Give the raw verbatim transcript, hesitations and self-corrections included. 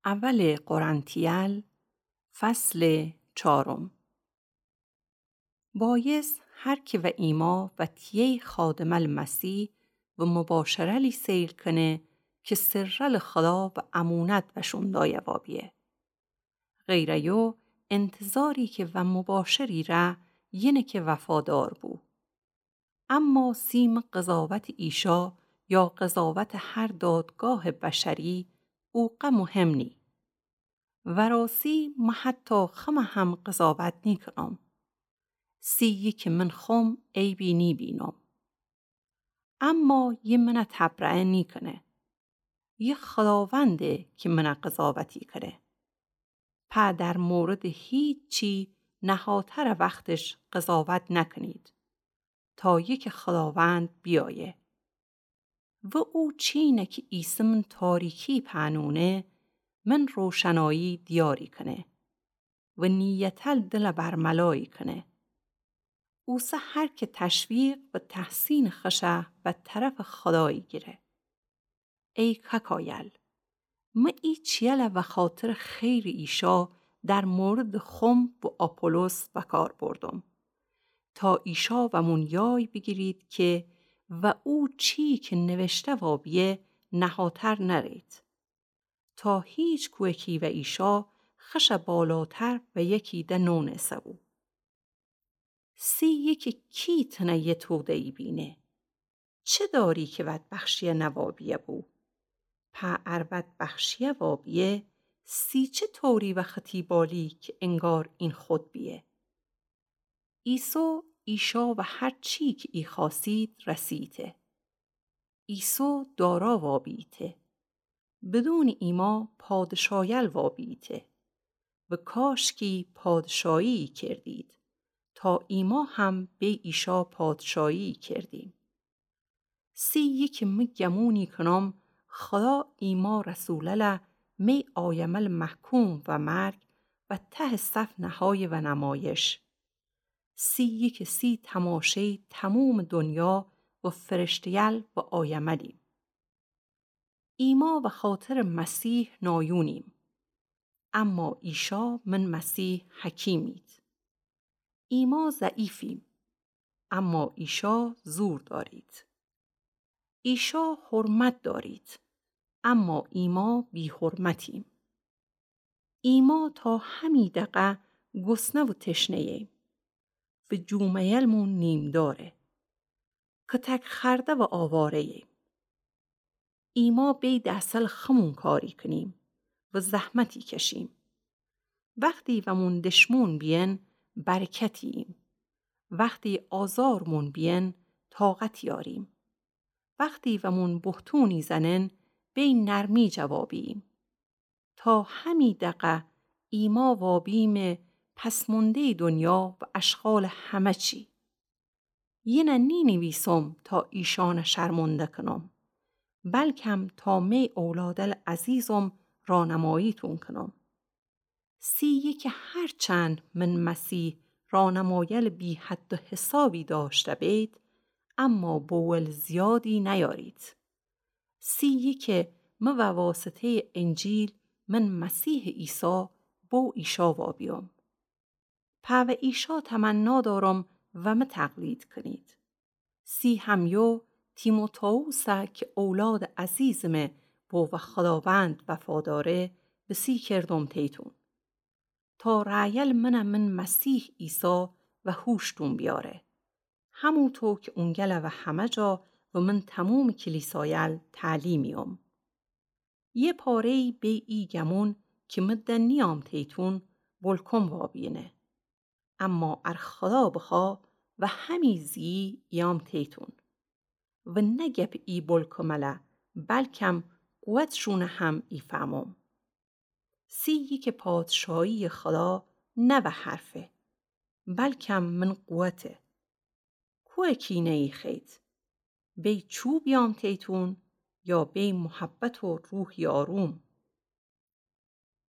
اول قرنتیل، فصل چارم. بایس هر کی و ایما و تیی خادمل مسیح و مباشره‌لی سیل کنه کی سرل خدا و امونت وشون دایه وابیه. غیر ایو انتظاری کی و مباشری ره یینه کی وفادار بو. اما سی مه قضاوت ایشا یا قضاوت هر دادگاه بشری اوقه مهم نی. وراسی مه حتی خمه هم قضاوت نیکنم. سی یی کی من خم عیبی نیبینم. اما یی منه تبرئه نیکنه. یی خداونده کی منه قضاوتی کنه. په در مورد هیچی نهاتر وختش قضاوت نکنید تا یکی خداوند بیایه. و او چینه کی ایسه من تاریکی پنونه، من روشنایی دیاری کنه و نیتل دل برملایی کنه. اوسه هر کی تشویق و تحسین خشه و طرف خدایی گیره. ای ککایل، مه ای چیله وخاطر خیر ایشا در مورد خم و آپولوس وکار بردم، تا ایشا ومون یای بیگیرید کی و او چی کی نوشته وابیه نهاتر نرید، تا هیچ کویکی و ایشا خشه بالاتر و یکی ده نونسه بو. سی یکی کی تنه یه توده‌یی بینه؟ چه داری کی ود بخشیه نوابیه بو؟ په ار ود بخشیه وابیه، سی چه طوری و ختی بالی کی انگار این خود بیه؟ ایسو ایشا و هر چی کی ای خواسید رسیته. ایسو دارا وابیته. بدون ایما پادشایل وابیته و کاشکی پادشایی کردید، تا ایما هم بی ایشا پادشایی کردیم. سی یکی مه گمونی کنم خدا ایما رسولله می آیمل محکوم و مرگ و ته صف نهایه و نمایش. سی یکی سی تماشه‌ی تموم دنیا و فرشته‌یل و آیملیم. ایما وخاطر مسیح نایونیم، اما ایشا من مسیح حکیمید. ایما ضعیفیم، اما ایشا زور دارید. ایشا حرمت دارید، اما ایما بی‌حرمتیم. ایما تا همی دقه گسنه و تشنه‌ییم و جومه‌یلمون نیم‌داره. کتک خورده و آواره‌ییم. ایما بی ده‌سل خمون کاری کنیم و زحمتی کشیم. وختی ومون دشمون بیین، برکتییم. وختی آزارمون بیین، طاقت یاریم. وختی ومون بهتونی زنین، بی نرمی جوابییم. تا همی دقه ایما وابیمه پس‌مونده‌ی دنیا و اشغال همه چی. یینه نینیویسم تا ایشانه شرمنده کنم، بلکم تا می اولادل عزیزم رانماییتون کنم. سی یکی هرچند من مسیح رانمایل بی‌حد و حسابی داشته بید، اما بوول زیادی نیارید. سی یکی مه وواسطه‌ی انجیل من مسیح عیسی بو ایشا وابیوم. په و ایشا تمنا دارم و مه تقلید کنید. سی همیو تیموتائوسه کی اولاد عزیزمه بو و خداوند وفاداره، بسی کردم تیتون. تا رأیل منه من مسیح عیسی و هوشتون بیاره. هموطو کی اونگله و همه جا و من تموم کلیسایل تعلیمیوم. یه پاره‌یی بی ای گمون کی مه دنیام تیتون بلکم وابینه. اما ار خدا بخوا و همی زیی ایام تیتون. و نه گپ ای بلکمله، بلکم قوتشونه هم ایفهمم. سی یکی پادشاهی خدا نه و حرفه، بلکم من قوته. کوه کینه‌یی خید؟ بی چوب یام تیتون یا بی محبت و روح یاروم؟